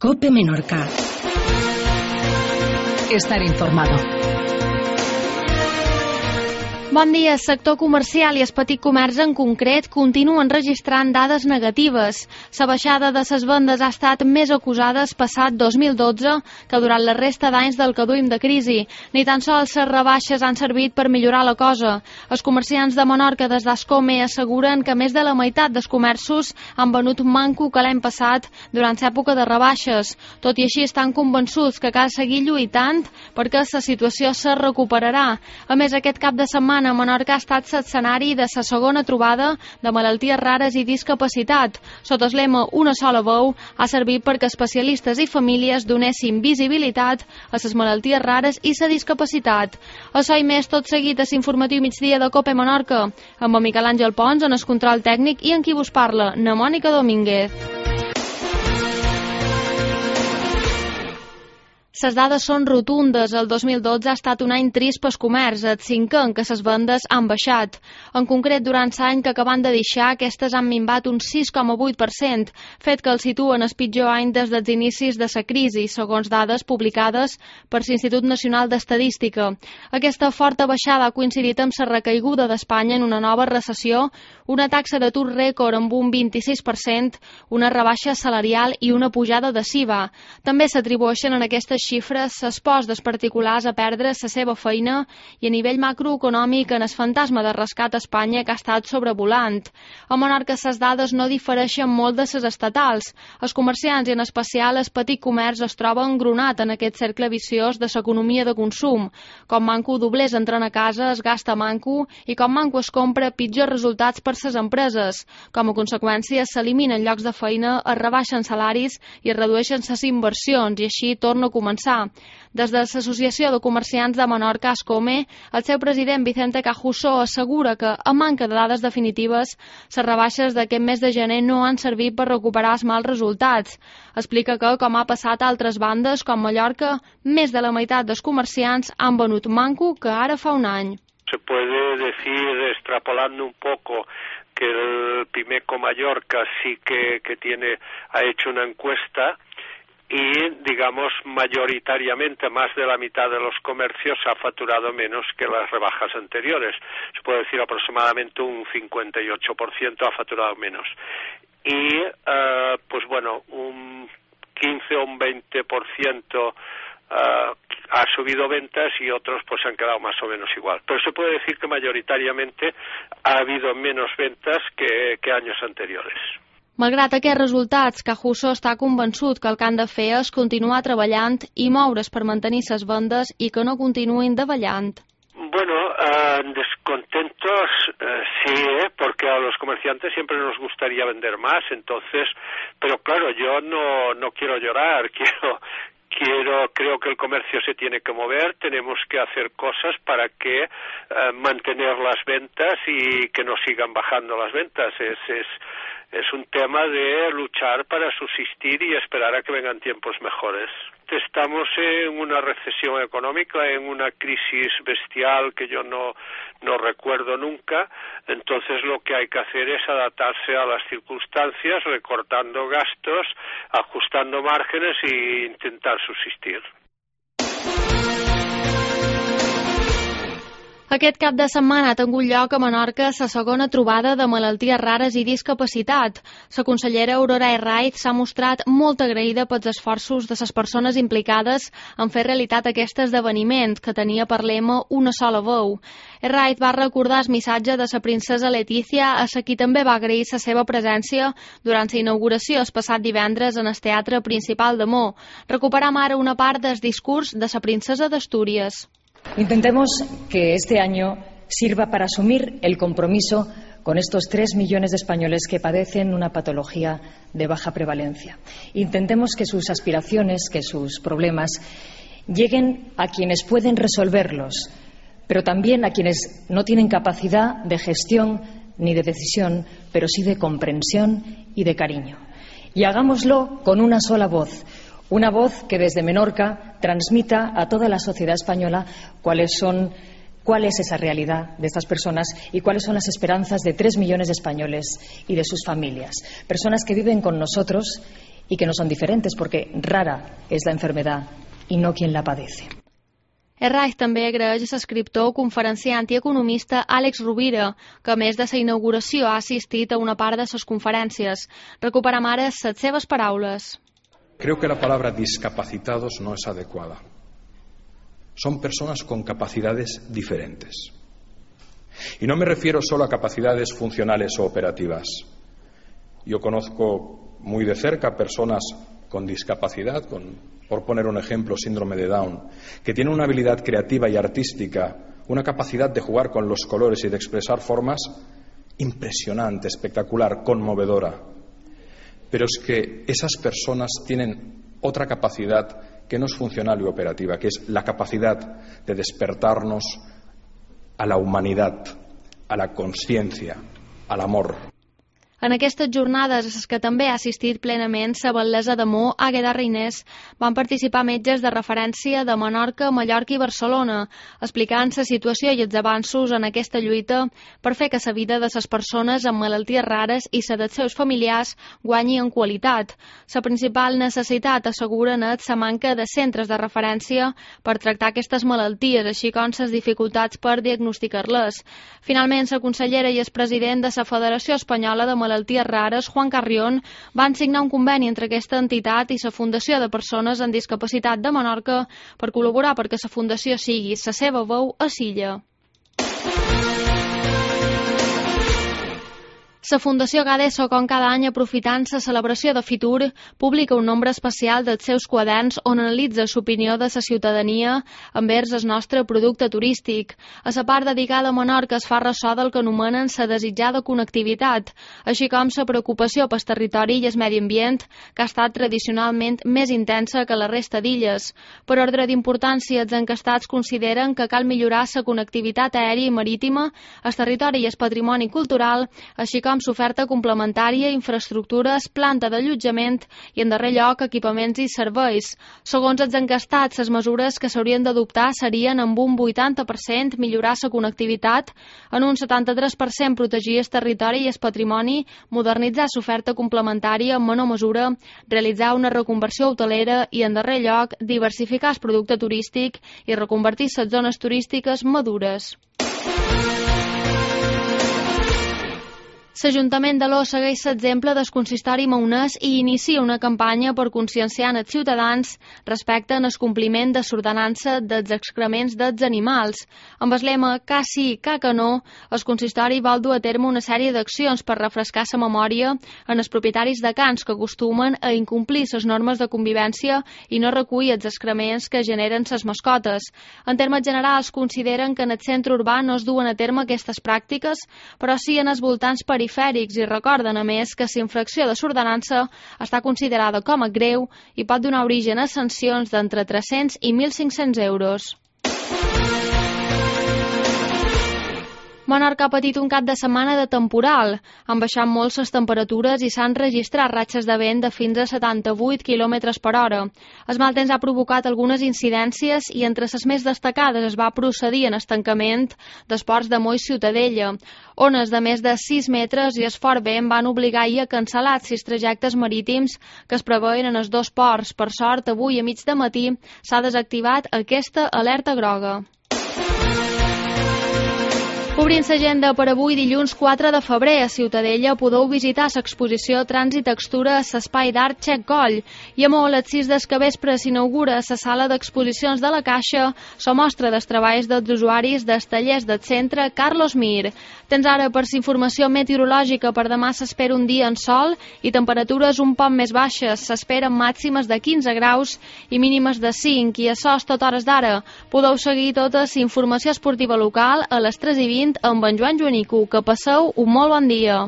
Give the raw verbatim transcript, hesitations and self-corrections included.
COPE Menorca. Estar informado. Bon dia. El sector comercial i el petit comerç en concret continuen registrant dades negatives. La baixada de les vendes ha estat més acusada el passat dos mil dotze que durant la resta d'anys del que duim de crisi. Ni tan sols les rebaixes han servit per millorar la cosa. Els comerciants de Menorca des d'Ascome asseguren que més de la meitat dels comerços han venut manco que l'any passat durant l'època de rebaixes. Tot i així estan convençuts que cal seguir lluitant perquè la situació se recuperarà. A més, aquest cap de setmana a Menorca ha estat l'escenari de la segona trobada de malalties rares i discapacitat. Sota el lema Una sola veu ha servit perquè especialistes i famílies donessin visibilitat a les malalties rares i la discapacitat. Això i més tot seguit a l'informatiu migdia de COPE Menorca, amb en Miquel Àngel Pons en el control tècnic i en qui vos parla, na Mònica Domínguez. Les dades són rotundes. El dos mil dotze ha estat un any trist pel comerç, el cinquè en què les vendes han baixat. En concret, durant l'any que acaben de deixar, aquestes han minvat un sis coma vuit per cent, fet que el situen el pitjor any des dels inicis de la crisi, segons dades publicades per l'Institut Nacional d'Estadística. Aquesta forta baixada ha coincidit amb la recaiguda d'Espanya en una nova recessió, una taxa d'atur rècord amb un vint-i-sis per cent, una rebaixa salarial i una pujada de S I V A. També s'atribueixen en aquestes xifres l'esforç dels particulars a perdre la seva feina i a nivell macroeconòmic en el fantasma de rescat a Espanya que ha estat sobrevolant. A Menorca les dades no difereixen molt de les estatals. Els comerciants i en especial el petit comerç es troba engronat en aquest cercle viciós de l'economia de consum. Com manco doblers entren a casa, es gasta manco i com manco es compra, pitjors resultats per les empreses. Com a conseqüència s'eliminen llocs de feina, es rebaixen salaris i es redueixen les inversions i així torna a començar. Des de l'Associació de Comerciants de Menorca, Ascome, el seu president Vicente Cajuso assegura que, a manca de dades definitives, les rebaixes d'aquest mes de gener no han servit per recuperar els mals resultats. Explica que, com ha passat a altres bandes, com Mallorca, més de la meitat dels comerciants han venut manco que ara fa un any. Se puede decir, extrapolando un poco, que el Pimeco Mallorca sí que, que tiene, ha hecho una encuesta y, digamos, mayoritariamente más de la mitad de los comercios ha facturado menos que las rebajas anteriores. Se puede decir aproximadamente un cincuenta y ocho por ciento ha facturado menos. Y, uh, pues bueno, un quince o un veinte por ciento uh, ha subido ventas y otros pues han quedado más o menos igual. Pero se puede decir que mayoritariamente ha habido menos ventas que, que años anteriores. Malgrat aquests resultats, Cajuso està convençut que el que han de fer és continuar treballant i moure's per mantenir les vendes i que no continuïn davallant. Bueno, uh, descontentos uh, sí, ¿eh? Porque a los comerciantes siempre nos gustaría vender más, entonces, pero claro, yo no, no quiero llorar, quiero... Quiero, creo que el comercio se tiene que mover, tenemos que hacer cosas para que eh, mantener las ventas y que no sigan bajando las ventas. Es, es, es un tema de luchar para subsistir y esperar a que vengan tiempos mejores. Estamos en una recesión económica, en una crisis bestial que yo no, no recuerdo nunca, entonces lo que hay que hacer es adaptarse a las circunstancias, recortando gastos, ajustando márgenes e intentar subsistir. Aquest cap de setmana ha tingut lloc a Menorca la segona trobada de malalties rares i discapacitat. La consellera Aurora Herraiz s'ha mostrat molt agraïda pels esforços de les persones implicades en fer realitat aquest esdeveniment, que tenia per lema Una sola veu. Herraiz va recordar el missatge de la princesa Letícia, a qui també va agrair la seva presència durant la inauguració el passat divendres en el Teatre Principal de Mo. Recuperam ara una part del discurs de la princesa d'Astúries. Intentemos que este año sirva para asumir el compromiso con estos tres millones de españoles que padecen una patología de baja prevalencia. Intentemos que sus aspiraciones, que sus problemas lleguen a quienes pueden resolverlos, pero también a quienes no tienen capacidad de gestión ni de decisión, pero sí de comprensión y de cariño. Y hagámoslo con una sola voz. Una voz que desde Menorca transmita a toda la sociedad española cuáles son, cuál es esa realidad de estas personas y cuáles son las esperanzas de tres millones de españoles y de sus familias. Personas que viven con nosotros y que no son diferentes, porque rara es la enfermedad y no quien la padece. Herraiz també agraeix a l'escriptor, conferenciant i economista Àlex Rovira, que a més de la inauguració ha assistit a una part de les conferències. Recuperem ara les seves paraules. Creo que la palabra discapacitados no es adecuada. Son personas con capacidades diferentes. Y no me refiero solo a capacidades funcionales o operativas. Yo conozco muy de cerca personas con discapacidad, con, por poner un ejemplo, síndrome de Down, que tienen una habilidad creativa y artística, una capacidad de jugar con los colores y de expresar formas impresionante, espectacular, conmovedora. Pero es que esas personas tienen otra capacidad que no es funcional y operativa, que es la capacidad de despertarnos a la humanidad, a la consciencia, al amor. En aquestes jornades, a les que també ha assistit plenament la batllessa de Mo, Àgueda Reinés, van participar metges de referència de Menorca, Mallorca i Barcelona, explicant la situació i els avanços en aquesta lluita per fer que la vida de les persones amb malalties rares i la dels seus familiars guanyi en qualitat. La principal necessitat, asseguren, és la manca de centres de referència per tractar aquestes malalties, així com les dificultats per diagnosticar-les. Finalment, la consellera i el president de la Federació Espanyola de Malalties Malalties Rares, Juan Carrión, van signar un conveni entre aquesta entitat i la Fundació de Persones amb Discapacitat de Menorca per col·laborar perquè la Fundació sigui la seva veu a l'illa. La Fundació Gadeso, com cada any aprofitant la celebració de Fitur, publica un nombre especial dels seus quaderns on analitza l'opinió de la ciutadania envers el nostre producte turístic. A la part dedicada a Menorca es fa ressò del que anomenen la desitjada connectivitat, així com la preocupació pel territori i el medi ambient, que ha estat tradicionalment més intensa que la resta d'illes. Per ordre d'importància, els encastats consideren que cal millorar la connectivitat aèria i marítima, el territori i el patrimoni cultural, així com l'oferta complementària, infraestructures, planta d'allotjament i, en darrer lloc, equipaments i serveis. Segons els encastats, les mesures que s'haurien d'adoptar serien amb un vuitanta per cent millorar la connectivitat, en un setanta-tres per cent protegir el territori i el patrimoni, modernitzar l'oferta complementària en menor mesura, realitzar una reconversió hotelera i, en darrer lloc, diversificar el producte turístic i reconvertir les zones turístiques madures. L'Ajuntament d'Aló segueix l'exemple del consistori maonès i inicia una campanya per conscienciar els ciutadans respecte al compliment de l'ordenança dels excrements dels animals. Amb el lema "Ca sí, ca que no", el consistori vol dur a terme una sèrie d'accions per refrescar la memòria en els propietaris de cans que acostumen a incomplir les normes de convivència i no recull els excrements que generen les mascotes. En termes generals, consideren que en el centre urbà no es duen a terme aquestes pràctiques, però sí en els voltants perifèrics i recorden, a més, que la infracció de l'ordenança està considerada com a greu i pot donar origen a sancions d'entre tres-cents i mil cinc-cents euros. Menorca ha patit un cap de setmana de temporal. Han baixat molt les temperatures i s'han registrat ratxes de vent de fins a setanta-vuit quilòmetres per hora. El mal temps ha provocat algunes incidències i entre les més destacades es va procedir en estancament dels ports de Mo i Ciutadella. Ones de més de sis metres i el fort vent van obligar ahir a cancel·lar sis trajectes marítims que es preveien en els dos ports. Per sort, avui a mig de matí s'ha desactivat aquesta alerta groga. Obrint l'agenda per avui, dilluns quatre de febrer, a Ciutadella podeu visitar l'exposició Trànsit Textura a l'Espai d'Art Xec Coll. I a Mo, a les sis del capvespre s'inaugura la sala d'exposicions de la Caixa, la mostra dels treballs dels usuaris dels tallers del centre Carlos Mir. Tens ara per la informació meteorològica. Per demà s'espera un dia en sol i temperatures un poc més baixes. S'esperen màximes de quinze graus i mínimes de cinc. I això és tot hores d'ara. Podeu seguir tota la informació esportiva local a les tres i vint amb en Joan Joanico. Que passeu un molt bon dia.